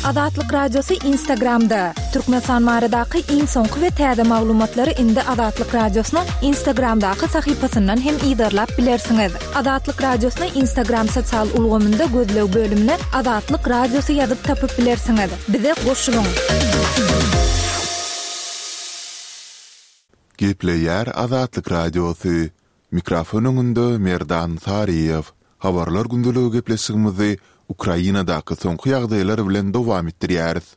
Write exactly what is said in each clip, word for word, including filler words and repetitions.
Azatlyk Radiosy Instagramda. Türkmenistan baradaky iň soňky we täze maglumatlary indi Azatlyk Radiosynyň Instagramdaky sahypasyndan hem yzarlap bilersiňiz. Azatlyk Radiosyny Instagram sosial ulgamynda gözleg bölümine Azatlyk Radiosy ýazyp tapyp bilersiňiz. Bize goşulyň. Gepleýär Azatlyk Radiosy. Mikrofon öňünde Merdan Saryýew. Habarlar gündeligi gepleşigimizi Ukrainadaky soňky ýagdaýlar bilen dowam etdirýäris.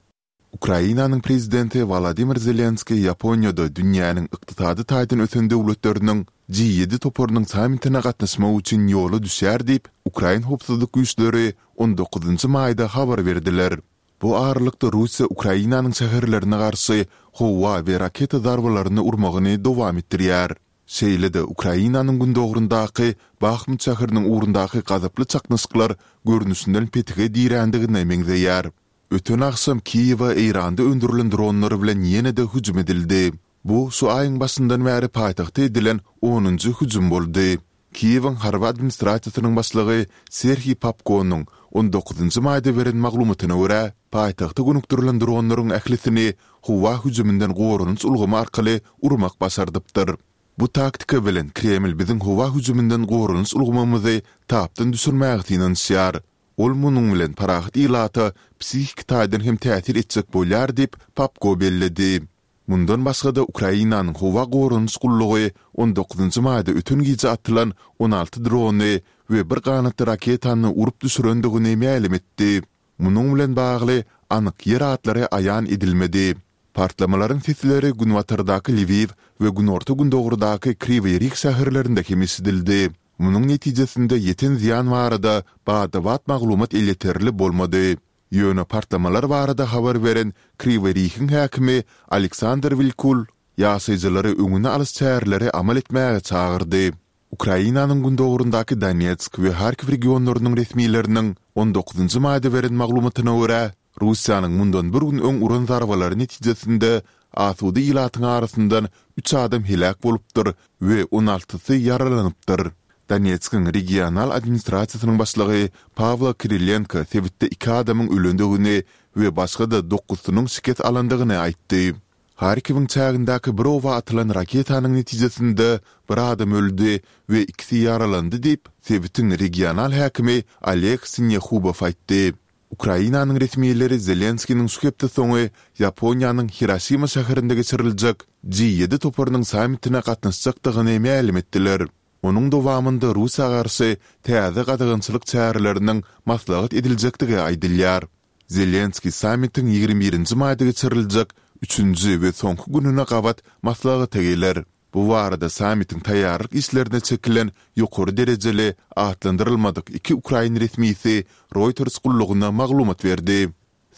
Ukrainanyň Prezidenti Wolodymyr Zelenskiý Ýaponiýada dünýäniň ykdysady taýdan ösen döwletleriniň G ýedi toparynyň sammitine gatnaşmak üçin ýola düşýär diýip, ukrain howpsuzlyk güýçleri on dokuzynjy maýda habar berdiler. Bu aralykda Russiýa Ukrainanyň şäherlerine garşy howa we raketa zarbalaryny urmagyny dowam etdirýär. Şeýle-de Ukrainanyň gündogaryndaky Bahmut şäheriniň ugrundaky gazaply çaknyşyklar görnüşinden petige dirändigine meňzeýär. Öten agşam Kiýewe Eýranda öndürilen dronlar bilen ýene-de hüjüm edildi. Bu şu aýyň başyndan bäri paýtagta edilen onunjy hüjüm boldy. Kiýewiň harby administrasiýasynyň başlygy Serhiý Popkonyň on dokuzynjy maýda beren maglumatyna görä, paýtagta gönükdirilen dronlaryň ählisini howa hüjüminden goranyş ulgamy arkaly urmak başardypdyr. Bu taktika bilen Kreml biziň howa hüjüminden goranyş ulgamymyzy tapdan düşürmäge synanyşýar. Ol munuň bilen parahat ilata psihiki taýdan hem täsir etjek bolýar diýip, Popko belledi. Mundan başga-da, Ukrainanyň Howa goranyş gullugy on dokuzynjy maýda öten gije atylan on alty drony we bir ganatly raketany urup düşürendigini mälim etdi. Munuň bilen bagly anyk ýer atlary aýan edilmedi. Partlamalaryň sesleri günbatardaky Lwiw we günorta-gündogardaky Kriwiý Rih şäherlerinde hem eşidildi. Munuň netijesinde ýeten zyýan barada bada-bat maglumat elýeterli bolmady. Ýöne partlamalar barada habar beren Kriwiý Rihiň häkimi Aleksandr Wilkul ýaşaýjylary öňüni alyş çäreleri amal etmäge çagyrdy. Ukrainanyň gündogaryndaky Donetsk we Harkiw regionlarynyň resmileriniň on dokuzynjy maýda beren maglumatyna görä, Russiýanyň mundan bir gün öň uran zarbalary netijesinde asuda ilatyň arasyndan üç adam heläk bolupdyr we on altysy ýaralanypdyr. Donetskiň regional administrasiýasynyň başlygy Pawlo Kirilenko sebitde iki adamyň ölendigini we başga-da dokuzsynyň şikes alandygyny aýtdy. Harkiwiň çägindäki bir oba atylan raketanyň netijesinde bir adam öldi we ikisi ýaralandy diýip, sebitiň regional häkimi Oleg Sinehubow aýtdy. Ukrainanyň resmileri Zelenskiniň şu hepde soňy Ýaponiýanyň Hiroşima şäherinde geçiriljek G ýedi toparynyň sammitine gatnaşjakdygyny mälim etdiler. Onuň dowamynda Russiýa garşy täze gadagançylyk çäreleriniň maslahat ediljekdigi aýdylýar. Zelenskiý sammitiň ýigrimi birinji maýda geçiriljek üçünji we soňky gününe gabat maslahata geler. Bu barada sammitiň taýýarlyk işlerine çekilen ýokary derejeli atlandyrylmadyk iki ukrain resmisi Reuters gullugyna maglumat berdi.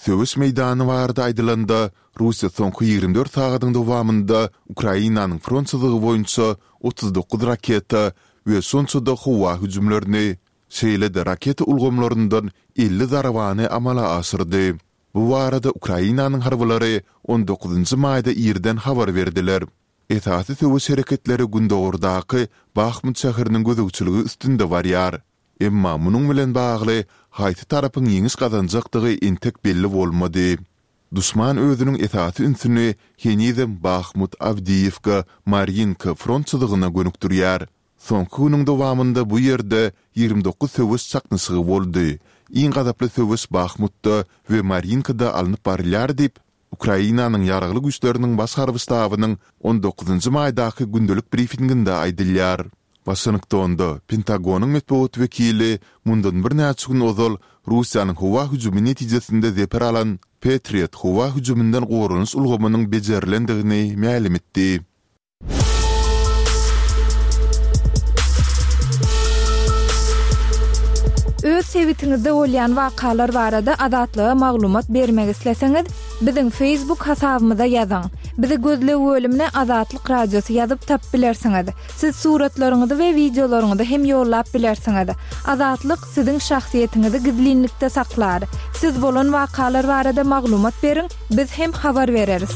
Söweş meýdany barada aýdylanda, Russiýa soňky ýigrimi dört sagadyň dowamynda Ukrainanyň front çyzygy boýunça otuz dokuz raketa we şonça-da howa hüjümlerini, şeýle-de raketa ulgamlaryndan elli zarbany amala aşyrdy. Bu barada Ukrainanyň harbylary on dokuzynjy maýda irden habar berdiler. Esasy söweş hereketleri gündogardaky Bahmut şäheriniň gözegçiligi üstünde barýar. Emma munuň bilen bagly haýsy tarapyň ýeňiş gazanjakdygy entek belli bolmady. Duşman özüniň esasy ünsüni henizem Bahmut, Awdiýewka, Marýinka front çyzygyna gönükdirýär. Soňky günüň dowamynda bu ýerde ýigrimi dokuz söweş çaknyşygy boldy. Iň gazaply söweş Bahmutda we Marýinkada alnyp barylýar diýip, Ukrainanyň Ýaragly Güýçleriniň Baş harby ştabynyň on dokuzynjy maýdaky gündelik brifinginde aýdylýar. Waşingtonda Pentagonyň metbugat wekili mundan birnäçe gün ozal Russiýanyň howa hüjümi netijesinde zeper alan Patriot howa hüjüminden goranyş ulgamynyň bejerilendigini mälim etdi. Öz sebitiňizde bolýan wakalar barada Azatlyga maglumat bermek isleseňiz, biziň Facebook hasabymyza ýazyň. Bizi gözleg bölümine Azatlyk Radiosy ýazyp tapyp bilersiňiz. Siz suratlaryňyzy we wideolaryňyzy hem ýollap bilersiňiz. Azatlyk siziň şahsyýetiňizi gizlinlikde saklar. Siz bolan wakalar barada maglumat beriň, biz hem habar bereris.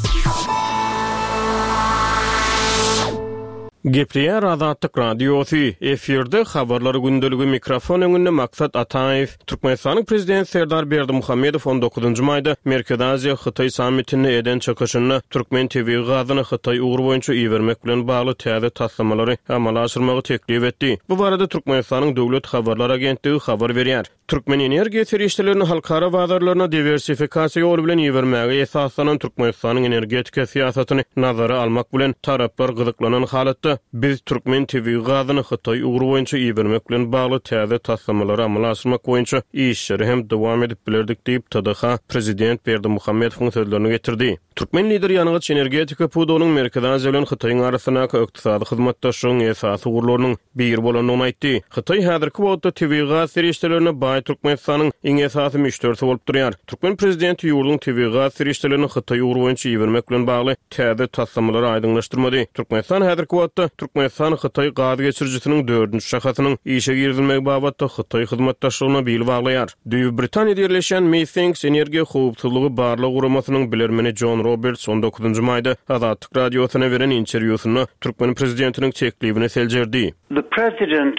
Gepleýär Azatlyk Radiosy, efirde Habarlar gündeligi mikrofon öňünde Maksat Ataýew. Türkmenistanyň Prezidenti Serdar Berdimuhamedow on dokuzynjy maýda Merkezi Aziýa Hytaý sammitinde eden çykyşynda türkmen tebigy gazyny Hytaý ugry boýunça ibermek bilen bagly täze taslamalary amala aşyrmagy teklip etdi. Bu barada Türkmenistanyň Döwlet habarlar agentligi habar berýär. Türkmen energiýa serişdelerini halkara bazarlaryna diwersifikasiýa ýoly bilen ibermäge esaslanan Türkmenistanyň energetika syýasatyny nazara almak bilen, taraplar gyzyklanan halatda biz türkmen tebigy gazyny Hytaý ugry boýunça ibermek bilen bagly täze taslamalary amala aşyrmak boýunça işleri hem dowam edip bilerdik diýip, T D H prezident Berdimuhamedowyň sözlerini getirdi. Türkmen lideri ýangyç-energetika pudagynyň Merkezi Aziýa bilen Hytaýyň arasyndaky ykdysady hyzmatdaşlygyň esasy ugurlarynyň biri bolandygyny aýtdy. Hytaý häzirki wagtda tebigy gaz serişdelerine baý Türkmenistanyň iň esasy müşderisi bolup durýar. Türkmen prezidenti ýurduň tebigy gaz serişdelerini Hytaý ugry boýunça ibermek bilen bagly täze taslamalary aýdyňlaşdyrmady. Türkmenistan häzirki wagtda Türkmenistan-Hytaý gaz geçirijisiniň dördünji şahasynyň işe girizilmegi babatda Hytaý hyzmatdaşlygyna bil baglaýar. Düýbi Britaniýada ýerleşýän Methinks energiýa howpsuzlygy barlag guramasynyň bilermeni Jon Roberts on dokuzynjy maýda Azatlyk Radiosyna beren interwýusynda türkmen prezidentiniň teklibini seljerdi. The president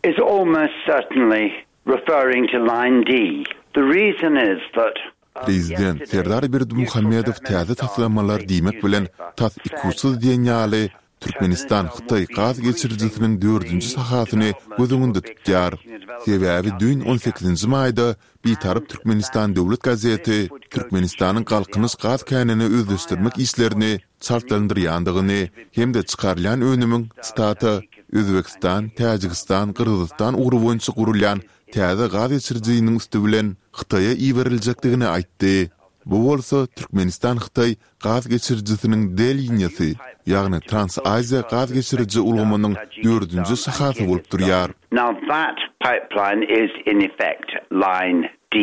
is almost certainly referring to Line D. The reason is that Prezident Serdar Berdimuhamedow täze taslamalar diýmek bilen tas ikuçsuz diýen ýaly Türkmenistan-Hytaý gaz geçirijisiniň dördünji şahasyny göz öňünde tutýar. Sebäbi düýn on sekizinji maýda Bitarap Türkmenistan döwlet gazeti Türkmenistanyň Galkynyş gaz känini özleşdirmek işlerini çaltlandyrýandygyny hem-de çykarylýan önümiň, sitata, Özbegistan, Täjigistan, Gyrgyzystan ugry boýunça gurulýan täze gaz geçirijiniň üsti bilen Hytaýa iberiljekdigini aýtdy. Bu bolsa Türkmenistan-Hytaý gaz geçirijisiniň D liniýasy, ýagny Trans-Aziýa gaz geçiriji ulgamynyň dördünji şahasy bolup durýar. Now that pipeline is in effect line D.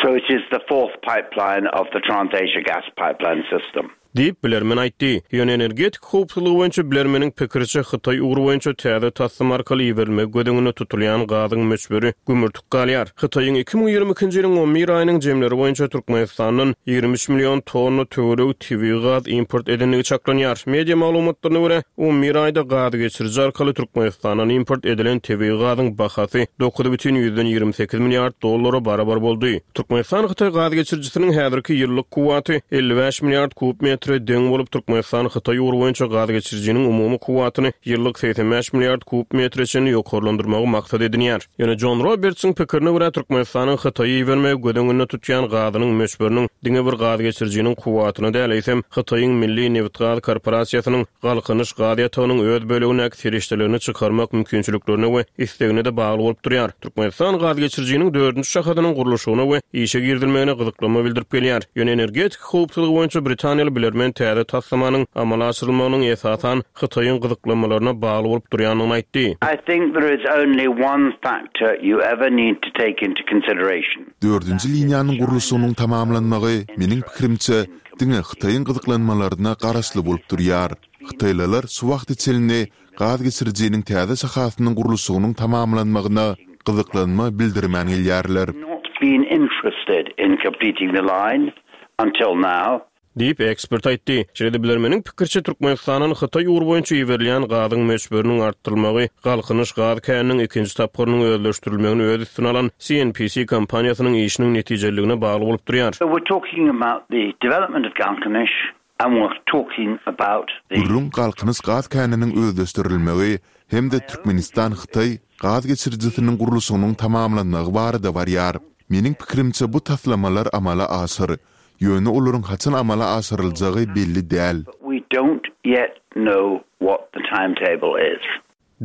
So it is the fourth pipeline of the Trans-Asia gas pipeline system. Diýip, bilermen aýtdy. Ýöne energetika howpsuzlygy boýunça bilermeniň pikiriçe, Hytaý ugry boýunça täze taslama arkaly iberilmegi göz öňünde tutulýan gazyň möçberi gümürtik galýar. Hytaýyň iki müň ýigrimi ikinji ýylyň on bir aýynyň jemleri boýunça Türkmenistandan ýigrimi üç million tonna töweregi tebigy gaz import edendigi çaklanýar. Media maglumatlaryna görä, on bir aýda gaz geçiriji arkaly Türkmenistandan import edilen tebigy gazyň bahasy dokuz bütin ýüzden ýigrimi sekiz milliard dollara barabar boldy. Türkmenistan-Hytaý gaz geçirijisiniň häzirki ýyllyk kuwwaty elli bäş milliard kub metre deň bolup, Türkmenistan-Hytaý ugry boýunça gaz geçirijiniň umumy kuwwatyny ýyllyk segsen bäş milliard kub metre çenli ýokarlandyrmagy maksat edinýär. Ýöne Jon Robertsiň pikirine görä, Türkmenistanyň Hytaýy ibermegi göz öňünde tutýan gazynyň möçberiniň diňe bir gaz geçirijiniň kuwwatyna däl, eýsem Hytaýyň Milli nebit-gaz korporasiýasynyň Galkynyş gaz ýatagynyň öz bölegindäki serişdelerini çykarmak mümkinçiliklerine we islegine-de bagly bolup durýar. Türkmenistan gaz geçirijiniň dördünji şahasynyň gurluşygyna we işe girizilmegine gyzyklanma bildirip gelýär. Ýöne energetika howpsuzlygy boýunça britaniýaly bilermen täze taslamanyň amala aşyrylmagynyň esasan Hytaýyň gyzyklanmalaryna bagly bolup durýandygyny aýtdy. I think there is only one factor you ever need to take into consideration. Dördünji liniýanyň gurluşygynyň tamamlanmagy, meniň pikirimçe, diňe Hytaýyň gyzyklanmalaryna garaşly bolup durýar. Hytaýlylar şu wagta çenli gaz geçirijiniň täze şahasynyň gurluşygynyň tamamlanmagyna gyzyklanma bildirmän gelýärler. Not been interested in completing the line until now. Diýip, ekspert aýtdy. Şeýle-de bilermeniň pikiriçe, Türkmenistandan Hytaý ugry boýunça iberilýän gazyň möçberiniň artdyrylmagy Galkynyş gaz käniniň ikinji tapgyrynyň özleşdirilmegini öz üstüne alan C N P C kompaniýasynyň işiniň netijeliligine bagly bolup durýar. So we're talking about the development of Galkynyş and we're talking about the Gürrüň Galkynyş gaz käniniň özleşdirilmegi hem-de Türkmenistan-Hytaý gaz geçirijisiniň gurluşygynyň tamamlanmagy barada barýar. Meniň pikirimçe, bu taslamalar amala aşyr. Ýöne olaryň haçan amala aşyryljagy belli däl. But we don't yet know what the timetable is.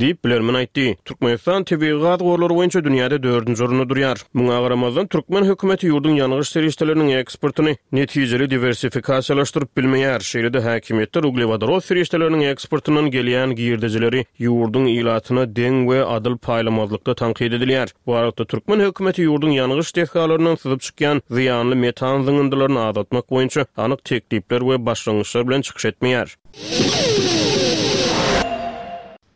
Diýip, bilermen aýtdy. Türkmenistan tebigy gaz gorlary boýunça dünýäde dördünji orunda durýar. Muňa garamazdan, türkmen hökümeti ýurduň ýangyç serişdeleriniň eksportyny netijeli diwersifikasiýalaşdyryp bilmeýär. Şeýle-de häkimiýetler uglewodorod serişdeleriniň eksportyndan gelýän girdejileri ýurduň ilatyna deň we adyl paýlamazlykda tankyt edilýär. Bu aralykda türkmen hökümeti ýurduň ýangyç desgalaryndan syzyp çykýan zyýanly metan zyňyndylaryny azaltmak boýunça anyk teklipler we başlangyçlar bilen çykyş etmeýär.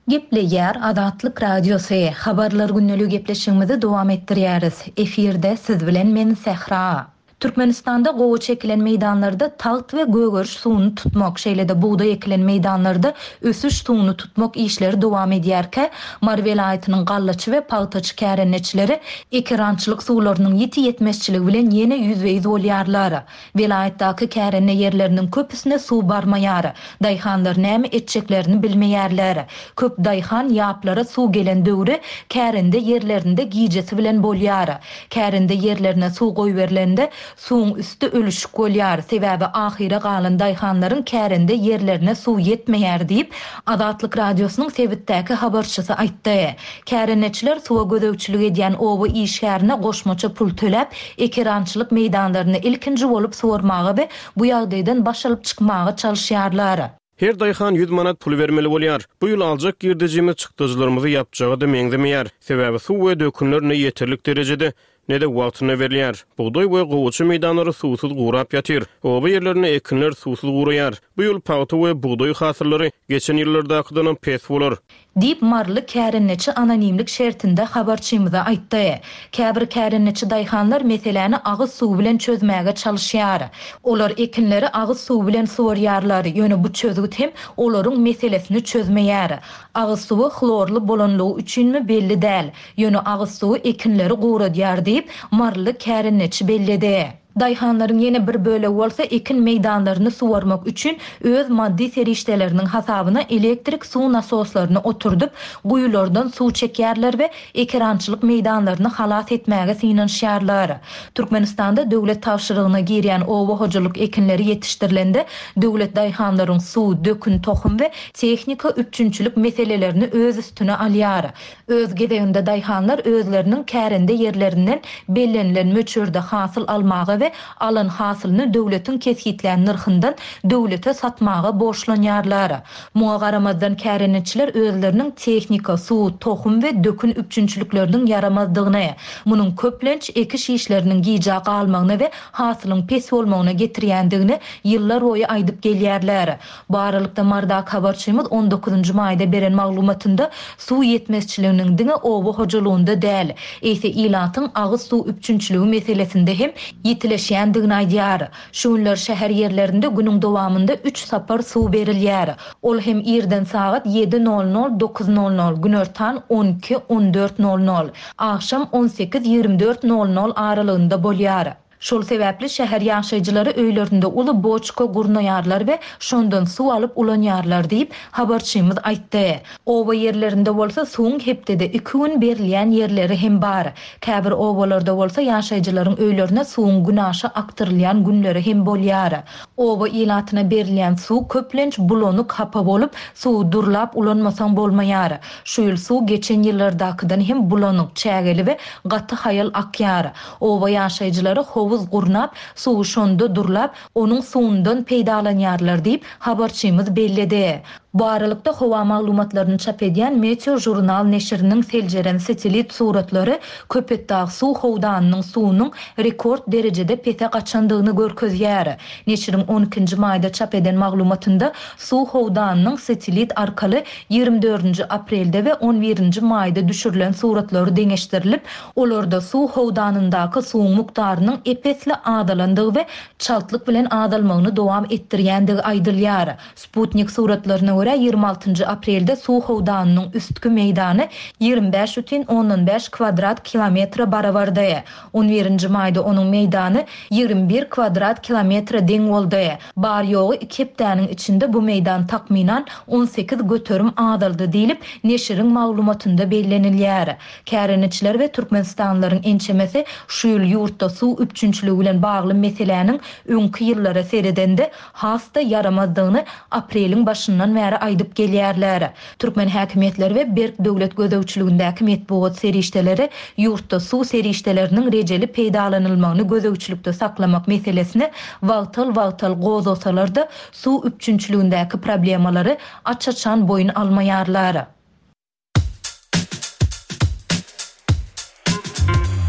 Gepleýär Azatlyk Radiosy. Habarlar gündeligi gepleşigimizi dowam etdirýäris. Efirde siz bilen men Sähra. Türkmenistanda gowaça ekilen meýdanlarda tagt we gögeriş suwuny tutmak, şeýle-de bugdaý ekilen meýdanlarda ösüş suwuny tutmak işleri dowam edýärkä, Mary welaýatynyň gallaçy we pagtaçy kärendeçileri ekerançylyk suwlarynyň ýiti ýetmezçiligi bilen ýene ýüzbe-ýüz bolýarlar. Welaýatdaky kärende ýerleriniň köpüsine suw barmaýar. Daýhanlar näme etjeklerini bilmeýärler. Köp daýhan ýaplara suw gelen döwri kärende ýerlerinde gijesi bilen bolýar. Kärende ýerlerine suw goýberilende, suwuň üsti ölüşik bolýar, sebäbi ahyra galan daýhanlaryň kärende ýerlerine suw ýetmeýär diýip, Azatlyk Radiosynyň sebitdäki habarçysy aýtdy. Kärendeçiler suwa gözegçilik edýän oba işgärine goşmaça pul töläp, ekerançylyk meýdanlaryny ilkinji bolup suwarmaga we bu ýagdaýdan baş alyp çykmaga çalyşýarlar. Her daýhan ýüz manat pul bermeli bolýar. Bu ýyl aljak girdejimiz çykdajylarymyzy ýapjaga-da meňzemeýär. Sebäbi suw we dökünler ne ýeterlik derejede, ne-de wagtynda berilýär. Bugdaý we gowaça meýdanlary suwsuz gurap ýatyr. Oba ýerlerinde ekinler suwsuz guraýar. Bu ýyl pagta we bugdaý hasyllary geçen ýyllardakydanam pes bolar. Diýip, maryly kärendeçi anonimlik şertinde habarçymyza aýtdy. Käbir kärendeçi daýhanlar meseläni agyz suwy bilen çözmäge çalyşýar. Olar ekinleri agyz suwy bilen suwarýarlar, ýöne bu çözgüt hem olaryň meselesini çözmeýär. Agyz suwy hlorly bolanlygy üçinmi belli däl, ýöne agyz suwy ekinleri guradýar diýip, maryly kärendeçi belledi. Daýhanlaryň ýene bir bölegi bolsa ekin meýdanlaryny suwarmak üçin öz maddy serişdeleriniň hasabyna elektrik suw nasoslaryny oturdyp, guýulardan suw çekýärler we ekerançylyk meýdanlaryny halas etmäge synanyşýarlar. Türkmenistanda döwlet tabşyrygyna girýän oba hojalyk ekinleri ýetişdirilende, döwlet daýhanlaryň suw, dökün, tohum we tehnika üpjünçilik meselelerini öz üstüne alýar. Öz gezeginde daýhanlar özleriniň kärende ýerlerinden bellenilen möçberde hasyl almaga we alan hasylyny döwletiň kesgitlän nyrhyndan döwlete satmaga borçlanýarlar. Muňa garamazdan kärendeçiler özleriniň tehnika, suw, tohum we dökün üpjünçilikleriniň ýaramazdygyny, munuň köplenç ekiş işleriniň gijä galmagyna we hasylyň pes bolmagyna getirýändigini ýyllar boýy aýdyp gelýärler. Bu aralykda Marydaky habarçymyz on dokuzynjy maýda beren maglumatynda suw ýetmezçiliginiň diňe oba hojalygynda däl, eýse ilatyň agyz suw üpjünçiligi meselesinde hem ýitileşýändigini aýdýar. Şu günler şäher ýerlerinde günüň dowamynda üç sapar suw berilýär. Ol hem irden sagat ýedi nol nol dokuz nol nol, günortan on iki on dört nol nol, agşam on sekiz ýigrimi dört nol nol aralygynda bolýar. Şol sebäpli şäher ýaşaýjylary öýlerinde uly boçka gurnaýarlar we şondan suw alyp ulanýarlar diýip, habarçymyz aýtdy. Oba ýerlerinde bolsa suwuň hepdede iki gün berilýän ýerleri hem bar. Käbir obalarda bolsa ýaşaýjylaryň öýlerine suwuň günaşa akdyrylýan günleri hem bolýar. Oba ilatyna berilýän suw köplenç bulanyk hapa bolup, suwy durlap ulanmasaň bolmaýar. Şu ýyl suw geçen ýyllardakydan hem bulanyk, çägeli we gaty haýal akýar. Oba ýaşaýjylary howuz gurnap, suwy şonda durlap, onuň suwundan peýdalanýarlar diýip, habarçymyz belledi. Bu aralykda howa maglumatlaryny çap edýän Meteo Journal neşiriniň seljeren satellit suratlary Köpetdag suw howdanynyň suwunyň rekord derejede pese gaçandygyny görkezýär. Neşiriň on ikinji maýda çap eden maglumatynda suw howdanynyň satellit arkaly ýigrimi dördünji aprelde we on birinji maýda düşürilen suratlary deňeşdirilip, olarda suw howdanyndaky suwuň mukdarynyň epesli azalandygy we çaltlyk bilen azalmagyny dowam etdirýändigi aýdylýar. Sputnik suratlaryna görä ýigrimi altynjy aprelde suw howdanynyň üstki meýdany ýigrimi bäş bütin ondan bäş kvadrat kilometre barabardy. On birinji maýda onuň meýdany ýigrimi bir kvadrat kilometre deň boldy. Bar ýogy iki hepdäniň içinde bu meýdan takmynan on sekiz göterim azaldy diýlip, neşiriň maglumatynda bellenilýär. Kärendeçiler we Türkmenistanlylaryň ençemesi şu ýyl ýurtda suw üpjünçiligi bilen bagly meseläniň öňki ýyllara seredende has-da ýaramazdygyny apreliň başyndan bäri aýdyp gelýärler. Türkmen häkimiýetleri we berk döwlet gözegçiligindäki metbugat serişdeleri ýurtda suw serişdeleriniň rejeli peýdalanylmagyny gözegçilikde saklamak meselesini wagtal-wagtal gozgasalar-da suw üpjünçiligindäki problemalary aç-açan boýun almaýarlar.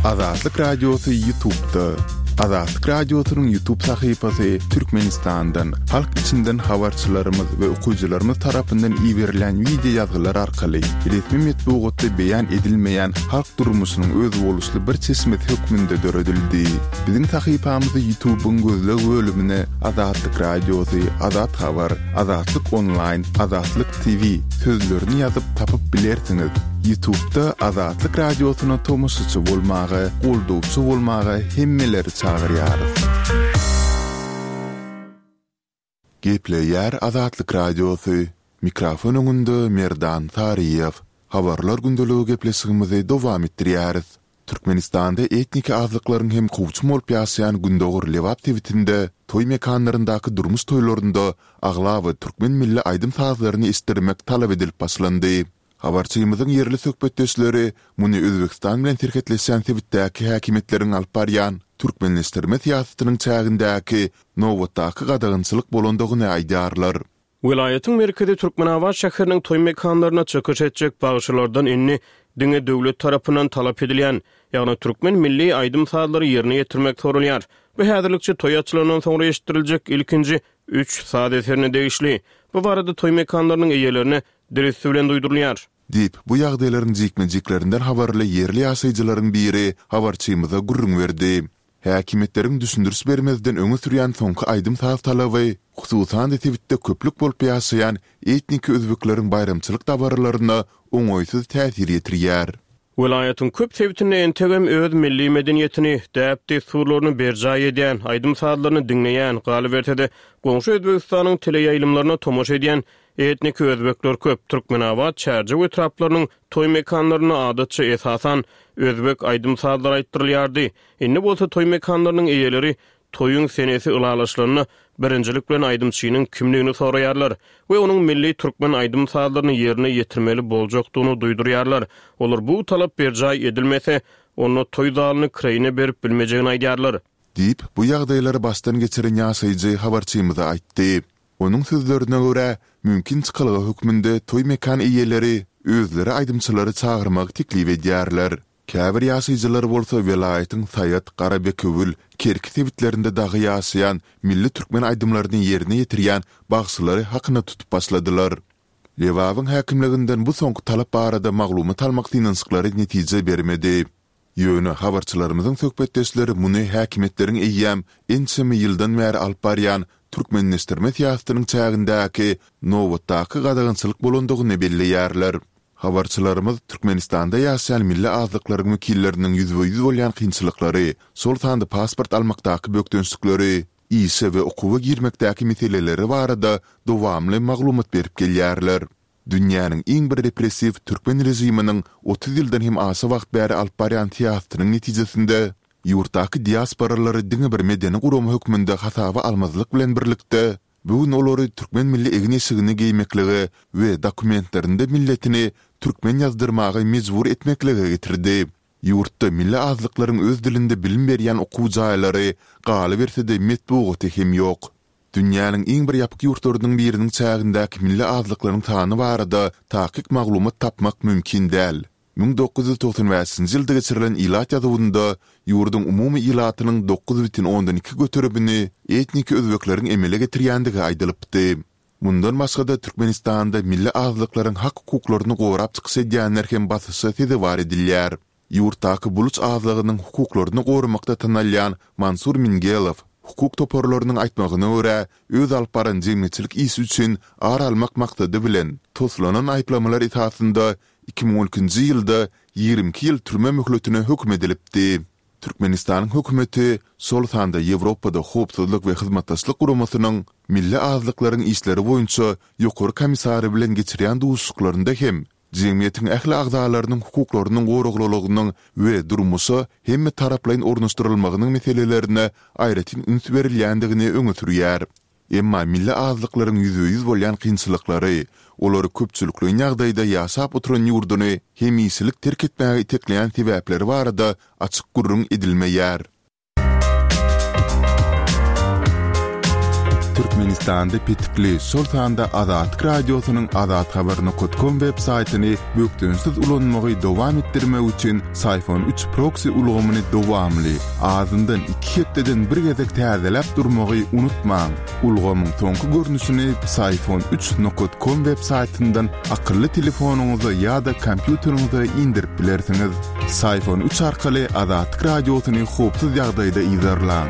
Azatlyk Radiosy YouTube'da. Azatlyk Radiosynyň YouTube sahypasy Türkmenistandan, halk içinden habarçylarymyz we okyjylarymyz tarapyndan iberilýän wideo ýazgylar arkaly resmi metbugatda beýan edilmeýän halk durmuşynyň özboluşly bir çeşmesi hökmünde döredildi. Biziň sahypamyzy YouTube-yň gözleg bölümine Azatlyk Radiosy, Azat Habar, Azatlyk Onlaýn, Azatlyk T V sözlerini ýazyp tapyp bilersiňiz. YouTube-da Azatlyk Radiosyna tomaşaçy bolmaga, goldawçy bolmaga hemmeleri çagyrýarys. Gepleýär Azatlyk Radiosy. Mikrofon öňünde Merdan Saryýew. Habarlar gündeligi gepleşigimizi dowam etdirýäris. Türkmenistanda etniki azlyklaryň hem kowçum bolup ýaşaýan Gündogar Lebap sebitinde toý mekanlaryndaky durmuş toýlarynda aglaba türkmen milli aýdym-sazlaryny eşitdirmek talap edilip başlandy. Habarçymyzyň ýerli söhbetdeşleri muny Özbegistan bilen serhetleşýän sebitdäki häkimiýetleriň alyp barýan türkmenleşdirme syýasatynyň çägindäki nobatdaky gadagançylyk bolandygyny aýdýarlar. Welaýatyň merkezi Türkmenabat şäheriniň toý mekanlaryna çykyş etjek bagşylardan indi diňe döwlet tarapyndan talap edilýän, ýagny türkmen milli aýdym-sazlary ýerine ýetirmek sorulýar. Bu häzirlikçe toý açylandan soňra eşitdiriljek ilkinji üç saz eserine degişli. Bu barada toý mekanlarynyň eýelerine dil üsti bilen duýdurylýar. Diýip, bu ýagdaýlaryň jikme-jiklerinden habarly ýerli ýaşaýjylaryň biri habarçymyza gürrüň berdi. Häkimiýetleriň düşündiriş bermezden öňe sürýän soňky aýdym-saz talaby, hususan-da sebitde köplük bolup ýaşaýan etniki özbekleriň baýramçylyk dabaralaryna oňaýsyz täsir ýetirýär. Welaýatyň köp sebitinde entegem öz milli medeniýetini, däp-dessurlaryny berjaý edýän, aýdym-sazlaryny diňleýän, galyberse-de goňşy Özbegistanyň teleýaýlymlaryna tomaşa edýän etniki özbekler köp. Türkmenabat, Çärjew etraplarynyň toý mekanlarynda adatça esasan özbek aýdym-sazlary aýtdyrylýardy. Indi bolsa toý mekanlarynyň eýeleri toýuň senesi ylalaşylanda birinjilik bilen aýdymçynyň kimligini soraýarlar we onuň milli türkmen aýdym-sazlaryny ýerine ýetirmeli boljakdygyny duýdurýarlar. Olar bu talap berjaý edilmese, onda toý zalyny kireýine berip bilmejegini aýdýarlar. Diýip, bu ýagdaýlary başdan geçiren ýaşaýjy habarçymyza aýtdy. Onuň sözlerine görä, mümkin çykalga hökmünde toý mekan eýeleri özleri aýdymçylary çagyrmagy teklip edýärler. Käbir ýaşaýjylar bolsa welaýatyň Saýat, Garabekewül, Kerki sebitlerinde dagy ýaşaýan milli türkmen aýdymlaryny ýerine ýetirýän bagşylary hakyna tutup başladylar. Lebabyň häkimliginden bu soňky talap barada maglumat almak synanyşyklary netije bermedi. Ýöne habarçylarymyzyň söhbetdeşleri muny häkimiýetleriň eýýäm ençeme ýyldan bäri alyp barýan türkmenleşdirme syýasatynyň çägindäki nobatdaky gadagançylyk bolandygyny belleýärler. Habarçylarymyz Türkmenistanda ýaşaýan milli azlyklaryň wekilleriniň ýüzbe-ýüz bolýan kynçylyklary, şol sanda pasport almakdaky bökdençlikleri, işe we okuwa girmekdäki meseleleri barada dowamly maglumat berip gelýärler. Dünýäniň iň bir repressiw türkmen režiminiň otuz ýyldan hem aşa wagt bäri alyp barýan syýasatynyň netijesinde ýurtdaky diasporalary diňe bir medeni gurama hökmünde hasaba almazlyk bilen birlikde, bu gün olary türkmen milli egin-eşigini geýmeklige we dokumentlerinde milletini türkmen ýazdyrmaga mejbur etmeklige getirdi. Ýurtda milli azlyklaryň öz dilinde bilim berýän okuw jaýlary, galyberse-de metbugaty hem ýok. Dünýäniň iň bir ýapyk ýurtlarynyň biriniň çägindäki milli azlyklaryň sany barada takyk maglumat tapmak mümkin däl. Müň dokuz ýüz togsan bäşinji ýylda geçirilen ilat ýazuwynda ýurduň umumy ilatynyň dokuz bütin ondan iki göterimini etniki özbekleriň emele getirýändigi aýdylypdy. Mundan başga-da Türkmenistanda milli azlyklaryň hak-hukuklaryny gorap çykyş edýänler hem basyşa sezewar edilýär. Ýurtdaky buluç azlygynyň hukuklaryny goramakda tanalýan Mansur Mingelow hukuk toparlarynyň aýtmagyna görä, öz alyp baran jemgyýetçilik işi üçin ar almak maksady bilen toslanan aýyplamalar esasynda iki müň on ikinji ýylda ýigrimi iki ýyl türme möhletine höküm edilipdi. Türkmenistanyň hökümeti, şol sanda Ýewropada Howpsuzlyk we Hyzmatdaşlyk Guramasynyň Milli azlyklaryň işleri boýunça ýokary komissary bilen geçirýän duşuşyklarynda hem jemgyýetiň ähli agzalarynyň hukuklarynyň goraglylygynyň we durmuşa hemme taraplaýyn ornaşdyrylmagynyň meselelerine aýratyn üns berilýändigini öňe sürýär. Emma milli azlyklaryň ýüzbe-ýüz bolýan kynçylyklary, olary köpçülikleýin ýagdaýda ýaşap oturan ýurduny hemişelik terk etmäge itekleýän sebäpleri barada açyk gürrüň edilmeýär. Türkmenistanda petikli, şol sanda Azatlyk Radiosynyň azathabar nokat kom web saýtyny bökdençsiz ulanmagy dowam etdirmek üçin Psiphon üç proksi ulgamyny dowamly, azyndan iki hepdeden bir gezek täzeläp durmagy unutmaň. Ulgamyň soňky görnüşini Psiphon üç nokat kom web saýtyndan akylly telefonyňyza ýa-da kompýuteriňize indirip bilersiňiz. Psiphon üç arkaly Azatlyk Radiosyny howpsuz ýagdaýda yzarlaň.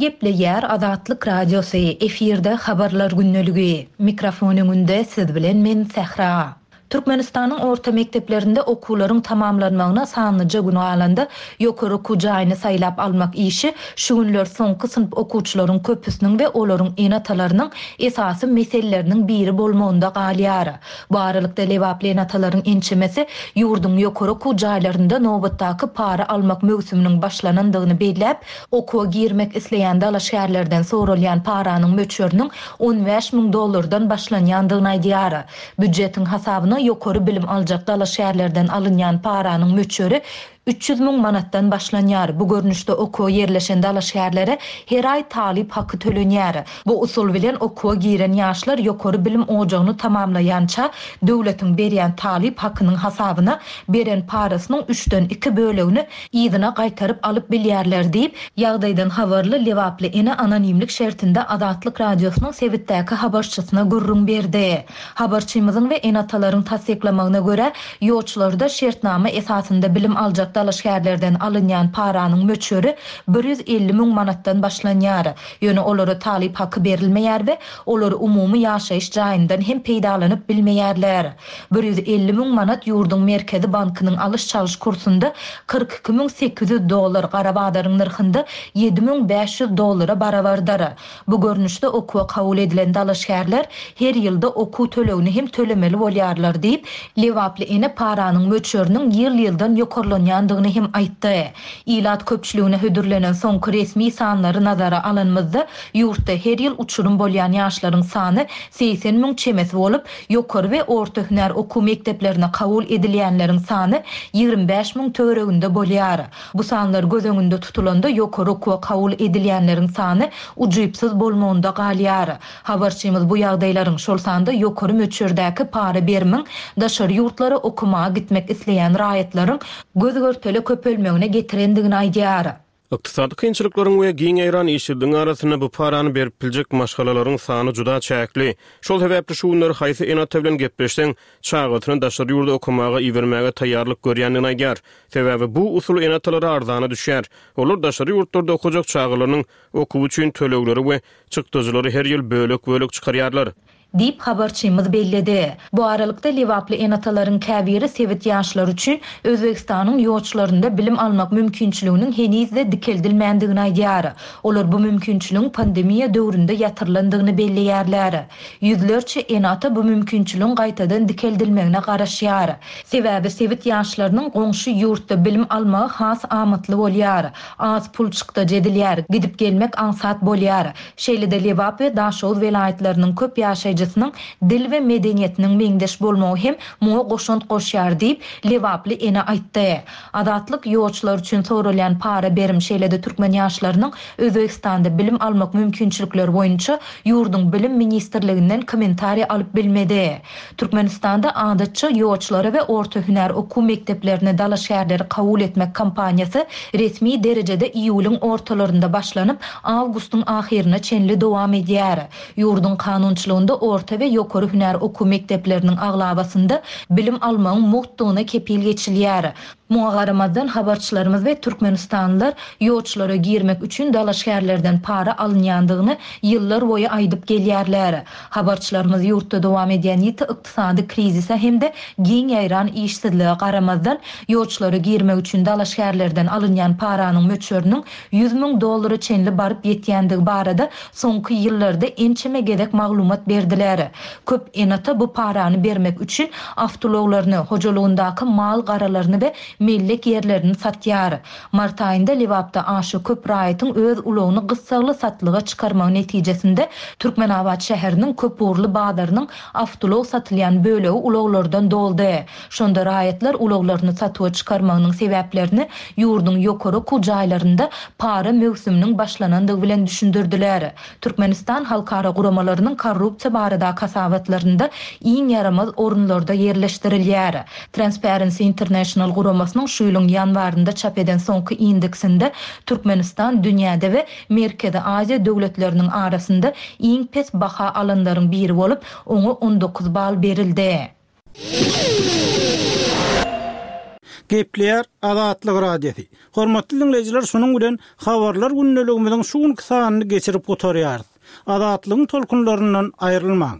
Gepleýär Azatlyk Radiosy, efirde habarlar gündeligi. Mikrofon öňünde siz bilen men Sähra. Türkmenistanyň orta mekdeplerinde okuwlaryň tamamlanmagyna sanlyja gün galanda, ýokary okuw jaýyny saýlap almak işi şu günler soňky synp okuwçylaryň köpüsiniň we olaryň ene-atalarynyň esasy meseleleriniň biri bolmagynda galýar. Bu aralykda lebaply ene-atalaryň ençemesi ýurduň ýokary okuw jaýlarynda nobatdaky para almak möwsüminiň başlanandygyny belläp, okuwa girmek isleýän dalaşgärlerden soralýan paranyň möçberiniň on bäş müň dollardan başlanýandygyny aýdýar. Býujetiň hasabyna ýokary bilim aljak dalaşgärlerden alynýan paranyň möçberi üç ýüz müň manatdan başlanýar. Bu görnüşde okuwa ýerleşen dalaşgärlere her aý talyp haky tölenýär. Bu usul bilen okuwa giren ýaşlar ýokary bilim ojagyny tamamlaýança döwletiň berýän talyp hakynyň hasabyna beren parasynyň üçden iki bölegini yzyna gaýtaryp alyp bilýärler diýip, ýagdaýdan habarly Lebaply ene anonimlik şertinde Azatlyk Radiosynyň sebitdäki habarçysyna gürrüň berdi. Habarçymyzyň we ene-atalaryň tassyklamagyna görä, ýolçularda şertnama esasynda bilim aljak dalaşgärlerden alynýan paranyň möçberi bir ýüz elli müň manatdan başlanýar. Ýöne olara talyp haky berilmeýär we olar umumy ýaşaýyş jaýyndan hem peýdalanyp bilmeýärler. bir ýüz elli müň manat ýurduň Merkezi bankynyň alyş-çalyş kursunda kyrk iki müň sekiz ýüz dollar, gara bazaryň nyrhynda ýedi müň bäş ýüz dollara barabardyr. Bu görnüşde okuwa kabul edilen dalaşgärler her ýylda okuw tölegini hem tölemeli bolýarlar diýip, Lebaply ene paranyň möçberiniň ýyl-ýyldan ýokarlanýandygyny hem aýtdy. Ilat köpçüligine hödürlenen soňky resmi sanlary nazara alanymyzda ýurtda her ýyl uçurum bolýan ýaşlaryň sany segsen müň çemesi bolup, ýokary we orta hünär okuw mekdeplerine kabul edilýänleriň sany ýigrimi bäş müň töwereginde bolýar. Bu sanlar göz öňünde tutulanda ýokary okuwa kabul edilýänleriň sany ujypsyz bolmagynda galýar. Habarçymyz bu ýagdaýlaryň şol sanda ýokary möçberdäki para berimiň daşary ýurtlara okumaga gitmek isleýän raýatlaryň göz görtele köpelmegine getirendigini aýdýar. Ykdysady kynçylyklaryň we giň ýaýran işsizligiň arasynda bu parany berip biljek maşgalalaryň sany juda çäkli. Şol sebäpli şu günler haýsy ene-ata bilen gepleşseň, çagasyny daşary ýurda okumaga ibermäge taýýarlyk görýändigini aýdýar. Sebäbi bu usul ene-atalara arzana düşýär. Olar daşary ýurtlarda okajak çagalarynyň okuwy üçin tölegleri we çykdajylary her ýyl bölek-bölek çykarýarlar. Diýip habarçymyz belledi. Bu aralykda Lebaply ene-atalaryň käbiri sebit ýaşlary üçin Özbegistanyň ýolçularynda bilim almak mümkinçiliginiň henizde dikeldilmändigini aýdýar. Olar bu mümkinçiligiň pandemiýa döwründe ýatyrylandygyny belleýärler. Ýüzlerçe ene-ata bu mümkinçiligiň gaýtadan dikeldilmegine garaşýar. Sebäbi sebit ýaşlarynyň goňşy ýurtda bilim almagy has amatly bolýar. Az pul çykdajy edilýär, gidip gelmek aňsat bolýar. Şeýle-de Lebap we Daşoguz welaýatlarynyň köp ýaşaýjysynyň dil we medeniýetiniň meňzeş bolmagy hem muňa goşant goşýar diýip Lebaply ene aýtdy. Azatlyk ýolçular üçin soralýan para berim şeýle-de türkmen ýaşlarynyň Özbegistanda bilim almak mümkinçilikleri boýunça ýurduň bilim ministrliginden kommentariýa alyp bilmedi. Türkmenistanda adatça ýolçulara we orta hünär okuw mekdeplerine dalaşgärleri kabul etmek kampaniýasy resmi derejede iýulyň ortalarynda başlanyp, awgustyň ahyryna çenli dowam edýär. Ýurduň kanunçylygynda orta we ýokary hünär okuw mekdepleriniň aglabasynda bilim almagyň mugtdygyna kepil geçilýär. Muňa garamazdan habarçylarymyz we Türkmenistanlylar ýolçulara girmek üçin dalaşgärlerden para alynýandygyny ýyllar boýy aýdyp gelýärler. Habarçylarymyz ýurtda dowam edýän ýiti ykdysady krizise hem-de giň ýaýran işsizlige garamazdan ýolçulara girmek üçin dalaşgärlerden alynýan paranyň möçberiniň ýüz müň dollara çenli baryp ýetýändigi barada soňky ýyllarda ençeme gezek maglumat berdiler. Köp ene-ata bu parany bermek üçin awtoulaglaryny, hojalygyndaky mal garalaryny we mellek ýerlerini satýar. Mart aýynda Lebapda aşa köp raýatyň öz ulagyny gyssagly satlyga çykarmagy netijesinde Türkmenabat şäheriniň köpugurly bazarynyň awtoulag satylýan bölegi ulaglardan doldy. Şonda raýatlar ulaglaryny satuwa çykarmagynyň sebäplerini ýurduň ýokary okuw jaýlarynda para möwsüminiň başlanandygy bilen düşündirdiler. Türkmenistan halkara guramalarynyň korrupsiýa baradaky hasabatlarynda iň ýaramaz orunlarda ýerleşdirilýär. Transparency International guramasynyň şu ýylyň ýanwarynda çap eden soňky indeksinde Türkmenistan dünýäde we Merkezi Aziýa döwletleriniň arasynda iň pes baha alanlaryň biri bolup, oňa on dokuz bal berildi. Gepleýär Azatlyk Radiosy. Hormatly diňleýjiler, şunuň bilen habarlar gündeligimiziň şu günki sanyny geçirip gutarýarys. Azatlygyň tolkunlaryndan aýrylmaň.